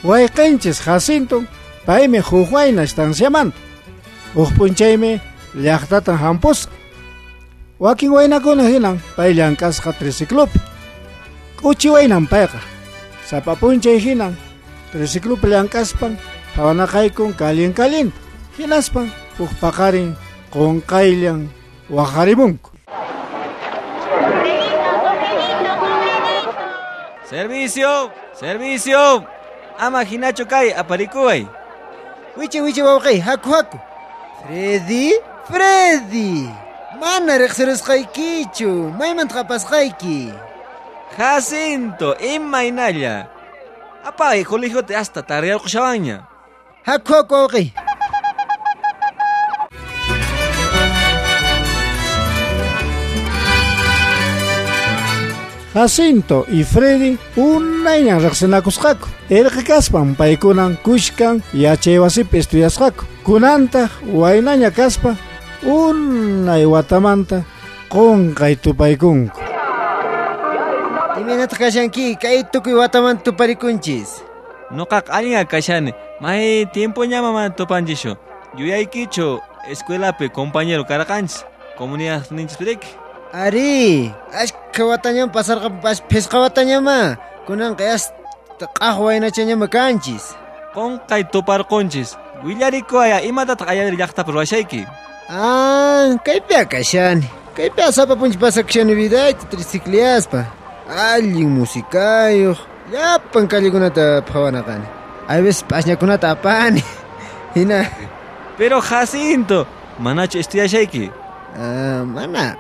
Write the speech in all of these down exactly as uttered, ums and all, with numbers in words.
Wayqinchis Jacinto paymi huk wayna estanciamanta. Huk p'unchaymi llaqtatan hampusqa. Wakin waynakuna hinan pay llank'asqa triciclopi. K'uchi waynan payqa. Sapa p'unchay hinan triciclopi llank'aspan phawanaqaykun kallin kallinta. Hinaspan huk paqarin qunqayllan waqarimunku. Servicio, servicio. Ama hinachu kay aparikuway. Wichi wichi wawqi, haku haku. Freddy, Freddy. Mana riqsirusqaykichu, maymanta qapasqayki. Jacinto, imaynalla. Apay colegiote hasta tardeyarqushawanña. Haku haku wawqi. Jacinto y Freddy unayñan riqsinakusqaku. Irqi kaspan paykunan kushkan yachaywasipi estudiasqaku. Kunantaq waynaña kaspa unay watamanta qunqay tupaykunku. Imaynataq kashanki kay tukuy watamanta tuparikunchis? Nuqaqa allinqa kashani. May tiempoñama mana tupanchischu. Yuyaykichu escuelapi compañero karqanchis. Comunidadninchispiriki. Ari, ashka watañam pasarqa phisqa watañama. Kunanqa hasta q'aq waynachañama kanchis. Qunqay tuparqunchis. Willarikuwaya imatataq ayari llaqtapi ruwashayki? Ah, kaypiqa kashani. Kaypiqa sapa p'unchay pasakushani vidayta tricicliaspa. Allin musikayuq, llapan callekunata phawanaqani. A veces p'asñakunata apani. Hina. Pero Jacinto, manachu estudiashayki? Ah, mana.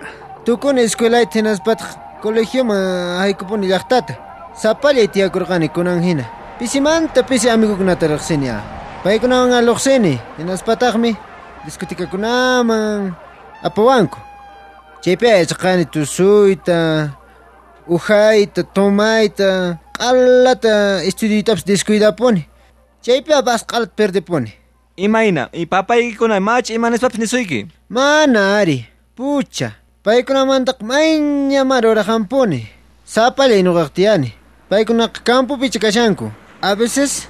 Tukuni escuelayta hinaspataq colegioman haykupuni llaqtata. Sapallay tiyakurqani kunan hina. Pisimanta pisi amigukunata riqsini. Paykunawan aluqsini, hinaspataqmi discotekakunaman apawanku. Chaypi yachaqani tusuyta, uhayta, tomayta, q'alata estudioytapas descuidapuni. Chaypi apas q'alata perdepuni. Imayna, y papaykikuna machu imanispapas nisuyki? Mana ari, pucha. Paykunamantaqa mayñamari uraqampuni. Sapallay nuqaqa tiyani. Paykunaqa campopicha kashanku. A veces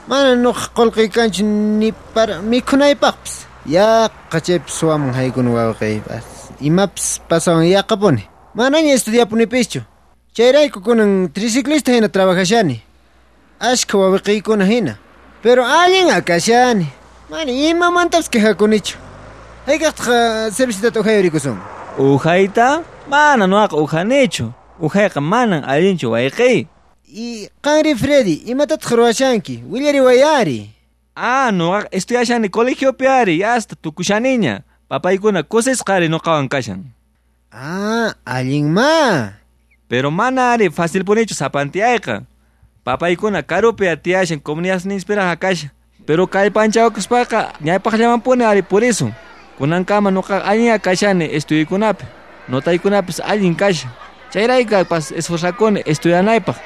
mana nuqa qullqiy kanchu ni para mikhunaypaqpis. Yaqa chaypi suwaman haykuni wawqiypas. Imapas pasawan yaqapuni. Manaña estudiapunipischu. Chayrayku kunan triciclista hina trabajashani. Ashka wawqiykuna hina. Pero allin akashani. Mana imamantapas quejakunichu. Hayk'aqtaq cervecitata uhayurikusun? Uhayta? Mana nuqaqa uhanichu. Uhayqa manan allinchu wayqiy. Y qanri Freddy, imatataq ruwashanki? Willariwayari. Ah, nuqaqa estudiashani colegiopi ari, hasta tukushaniña. Papaykuna kusisqari nuqawan kashan. Ah, allinma. Pero mana ari facilpunichu sapantiyayqa. Papaykuna karupi tiyashan comunidadninchipiraq kashan. Pero kallpanchawakuspaqa ñawpaqllamanpuni ari purisun. Kunankama nuqaqa allinqa kashani estudiokunapi. Notaykunapis allin kashan. Chayraykupas esforzakuni estudianaypaq.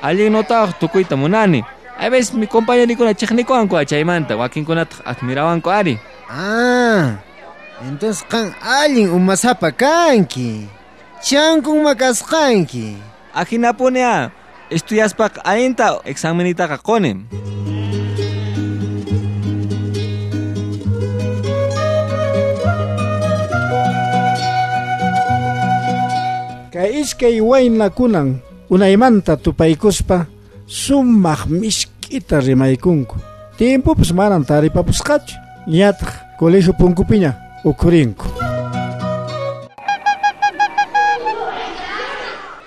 Allin notawaq tukuyta munani. A veces mi compañerikuna chiqnikuwanku chaymanta, wakinkunataq admirawanku ari. Ah, entonces qan allin umasapa kanki. Chankun kasqanki. Ajinapuni a estudiaspaqa allinta examenitaqa quni. Kay iskay waynakunan unaymanta tupaykuspa sumaq misk'ita rimaykunku. Tiempopas manan taripapusqachu. Ñataq colegio punkupiña ukhurinku.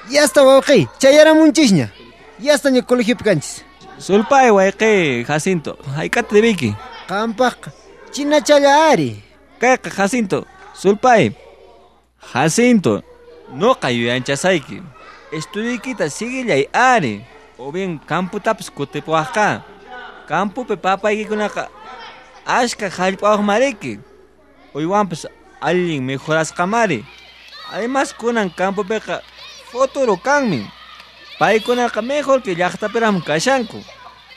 Yasta wawqi, chayaramunchisña. Yastaña colegiopi kanchis. Sulpay wayqi, Jacinto, hayk'ata debiyki? Qampaqqa chinachalla ari. Kayqa Jacinto, sulpay. Jacinto, nuqa yuyanchasayki. Estudiykita siguillay ari. O bien camputapas kutipuwaqqa. Campopi papaykikunaqa ashka hallp'awaqmariki. Uywanpas allin mejorasqamari. Además kunan campopiqa futuro kanmi. Paykunaqa mejor que llaqtapiraqmi kashanku.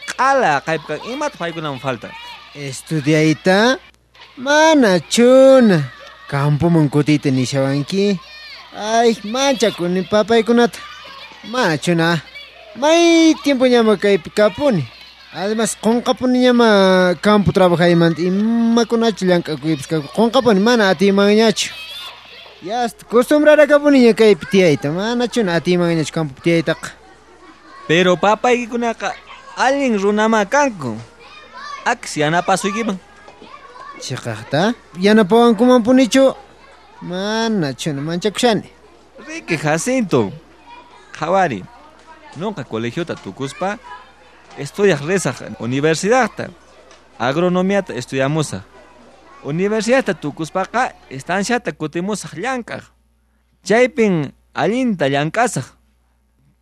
Q'ala qaypqa imata paykunaman falta. Estudiayta? Mana chuna. Campoman kutiyta nishawanki. Ay, manchakuni papaykunata. Mana chuna. May tiempo ñama kaypi kapuni. Además, qonqapuniñama campo trabajaymanta imakunachu llank'akuypis kaku. Qonqapuni mana atiymanñachu. Ya hasta costumbraracapuniña kaypi tiyayta. Manachuna atiymanñachu campopi tiyaytaqa. Pero papaykikunaqa allin runama kanku. Akis yanapasuykiman. Chiqaqta? Yanapawankumanpunichu? Manachuna manchakushani. Riki Jacinto. Qhawari. Nuqa colegiota tukuspa estudiaq risaq universidadta. Agronomiata estudiamusaq. Universidadta tukuspaqa estanciata kutimusaq llank'aq. Chaypin allinta llank'asaq.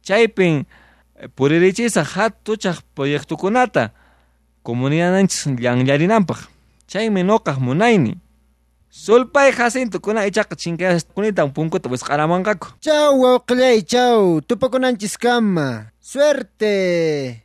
Chaypin puririchisaq hatuchaq proyectokunata comunidadninchis llanllarinanpaq. Chaymi nuqaq munayni. Sulpay Jacinto kuna ichaqa chinkayasqunitan punkuta wisq'aramanqaku. Chau wawqillay, chau. Tupakunanchiskama. Suerte.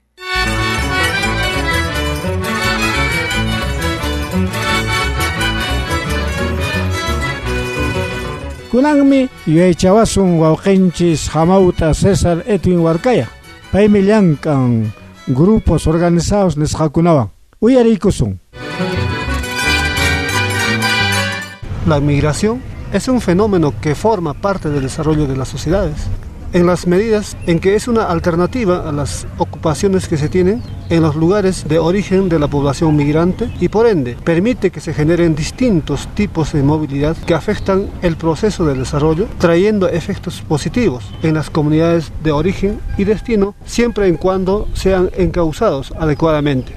Kunanmi yuyaychawasun wawqinchis hamawta César Edwin Huarcaya. Paymi llank'an grupos organizados nisqakunawan. Uyariykusun. La migración es un fenómeno que forma parte del desarrollo de las sociedades, en las medidas en que es una alternativa a las ocupaciones que se tienen en los lugares de origen de la población migrante y por ende permite que se generen distintos tipos de movilidad que afectan el proceso de desarrollo, trayendo efectos positivos en las comunidades de origen y destino, siempre en cuando sean encauzados adecuadamente.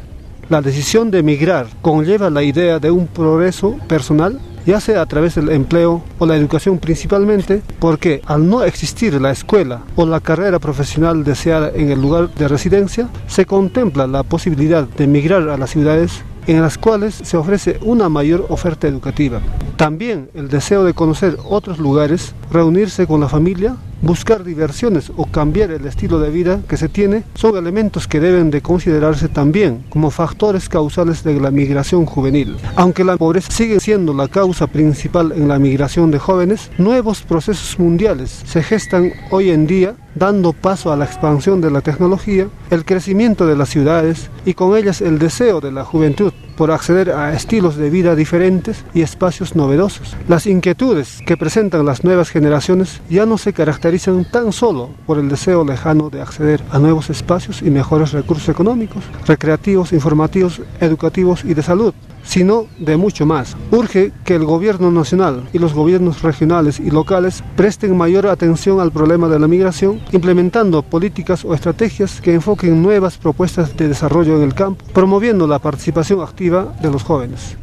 La decisión de migrar conlleva la idea de un progreso personal, ya sea a través del empleo o la educación principalmente, porque al no existir la escuela o la carrera profesional deseada en el lugar de residencia, se contempla la posibilidad de migrar a las ciudades en las cuales se ofrece una mayor oferta educativa. También el deseo de conocer otros lugares, reunirse con la familia, buscar diversiones o cambiar el estilo de vida que se tiene son elementos que deben de considerarse también como factores causales de la migración juvenil. Aunque la pobreza sigue siendo la causa principal en la migración de jóvenes, nuevos procesos mundiales se gestan hoy en día, dando paso a la expansión de la tecnología, el crecimiento de las ciudades y con ellas el deseo de la juventud por acceder a estilos de vida diferentes y espacios novedosos. Las inquietudes que presentan las nuevas generaciones ya no se caracterizan tan solo por el deseo lejano de acceder a nuevos espacios y mejores recursos económicos, recreativos, informativos, educativos y de salud, sino de mucho más. Urge que el gobierno nacional y los gobiernos regionales y locales presten mayor atención al problema de la migración, implementando políticas o estrategias que enfoquen nuevas propuestas de desarrollo en el campo, promoviendo la participación activa de los jóvenes.